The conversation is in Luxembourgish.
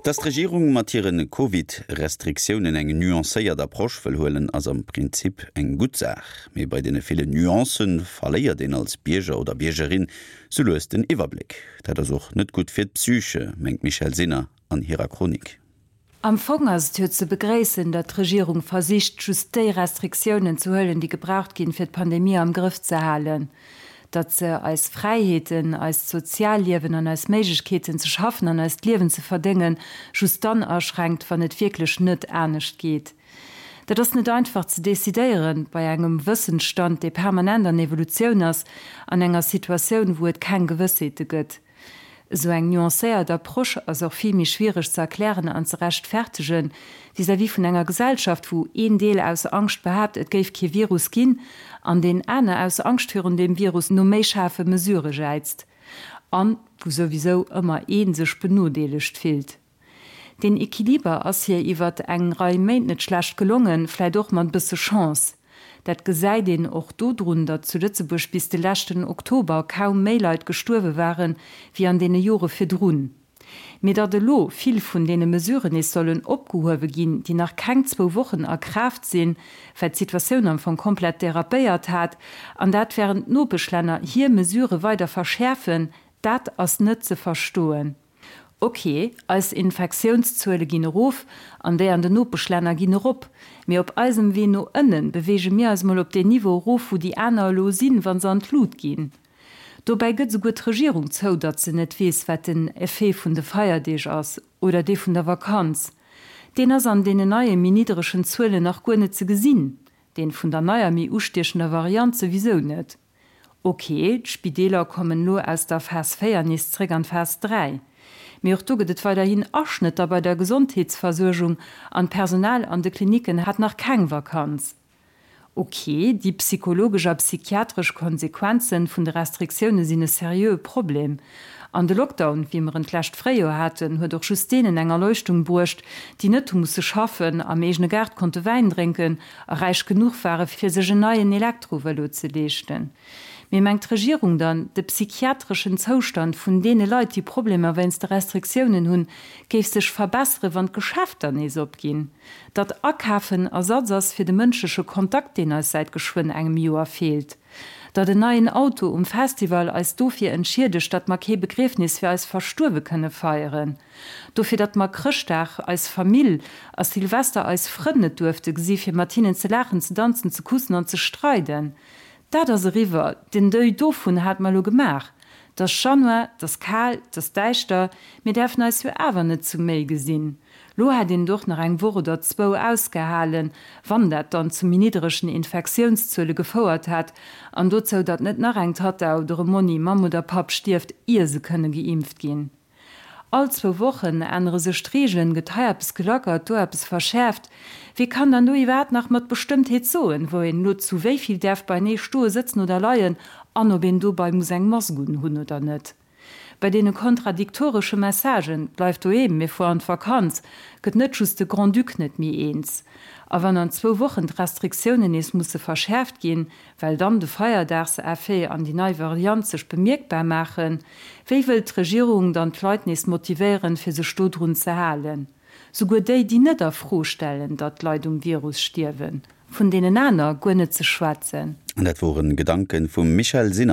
Dass d'Regierung mat hire Covid-Restriktiounen eng nuancéiert Approche wëll huelen, ass am Prinzip eng gutt Saach. Mee bei deene ville Nuancë verléiert een als Bierger oder Biergerin sou lues den Iwwerbléck. Dat ass och net gutt fir d'Psyche, mengt d'Michèle Sinner an hirer Chronik. Am Fong ass et jo ze begréissen, datt d'Regierung versicht, just déi Restriktiounen ze huelen, déi gebraucht ginn, fir d'Pandemie am Grëff ze halen. Datt se eis Fräiheeten, eist Sozialliewen an eis Méiglechkeeten ze schaffen an eist Liewen ze verdéngen, just dann aschränkt, wann et wierklech net anescht geet. Dat ass net einfach ze decidéieren, bei engem Wëssensstand, dee permanent an Evolutioun ass, an enger Situatioun, wou et keng Gewëssheete gëtt. Esou eng nuancéiert Approche ass och vill méi schwiereg ze erklären an ze rechtfertegen vis-à-vis vun enger Gesellschaft, wou een Deel aus Angscht behaapt, et géif kee Virus ginn, an deen aner aus Angscht virun deem Virus no méi schaarfe Mesurë jäizt. An wou souwisou ëmmer ee sech benodeelegt fillt. Deen Equiliber ass hir iwwert eng Rei Méint net schlecht gelongen, vläit och mat e bësse Chance. Dat gesäit een och dodrun, datt zu Lëtzebuerg bis de leschten Oktober kaum méi Leit gestuerwe waren, wéi an deene Jore virdrun. Mee datt elo vill vun deene Mesuren nees sollen opgehuewe ginn, déi nach keng zwou Wochen a Kraaft sinn, well d'Situatioun am Fong komplett derapéiert hat, an dat wärend d'Nopeschlänner hir Mesurë weider verschäerfen, dat ass net ze verstoen. Ok, eis Infektiounszuele ginn erof an déi an den Nopeschlänner ginn erop. Mee op eisem Wee no ënnen beweege mir eis mol op deen Niveau erof, wou déi aner elo sinn, wa se an d'Lut ginn. Dobäi gëtt esouguer d'Regierung zou, datt se net weess, wat den Effet vun de Feierdeeg ass oder dee vun der Vakanz. Deen ass an deenen neie méi nidderegen Zuelen nach guer net ze gesinn, deen vun der neier méi ustiechender Variant souwisou net. Ok, d'Spideeler kommen elo aus der Phas 4 nees zréck an d'Phas 3. Mee och do gëtt et weiderhin Aschnëtter bei der Gesondheetsversuergung an d'Personal an de Klinicken hat nach keng Vakanz. Ok, déi psychologesch a psychiatresch Konsequenzen vun de Restriktioune sinn e seriöe Problem. An de Lockdown, wéi mer en d'lescht Fréijoer haten, huet och just deenen eng Erleuchtung bruecht, déi net hu musse schaffen, am eegene Gaart konnte Wäin drénken a räich genuch ware fir sech en neien Elektrovëlo ze leeschten. Mee mengt d'Regierung dann, de psychiatreschen Zoustand vun deene Leit, déi Problemer wéinst de Restriktiounen hunn, géif sech verbessere wann d'Geschäfter nees opginn? Datt Akafen Ersatz ass fir de mënschleche Kontakt, deen eis säit geschwënn engem Joer feelt? Datt en neien Auto um Festival eis dofir entschiedegt, datt mer kee Begriefnis fir eis Verstuerwe kënne feieren? Dofir, datt mer Chrëschtdag eis Famill a Silvester eis Frënn net duerfte gesi fir mat hinnen ze laachen, ze danzen, ze kussen an ze streiden. Dat ass eriwwer, den Deuil dovun hat mer elo gemaach. 't ass Januar, 't ass kal, 't ass däischter, mir däerfen eis jo awer net zu méi gesinn. Lo hätt een et och nach eng Woch oder zwou ausgehalen, wann dat dann zu méi nidderegen Infektiounszuele gefouert hätt an dozou, datt net nach eng Tatta oder e Monni, Mamm oder Papp stierft, ier se kënne geimpft ginn. All zwou Wochen ännere sech d'Reegelen, gëtt hei eppes gelackert, do eppes verschäerft. Wie kann dann do iwwerhaapt nach mat Bestëmmtheet soen, wou een elo zu wéi vill däerf beinee stoe, sëtzen oder leien an ob een dobei muss eng Mask un hunn oder net? Bei deene kontradiktoresche Messagen, Bleif doheem, mir fuer an d'Vakanz, gëtt net just de Grand-Duc net méi eens. A wann an zwou Wochen d'Restriktiounen nees musse verschäerft ginn, well dann de Feierdagseffet an déi nei Variant sech bemierkbar maachen, wéi wëllt d'Regierung dann d'Leit nees motivéieren, fir sech dodrun ze halen? Souguer déi, déi net a Fro stellen, datt d'Leit um Virus stierwen, vun deenen aner guer net ze schwätzen. An dat woren Gedanken vum Michèle Sinner.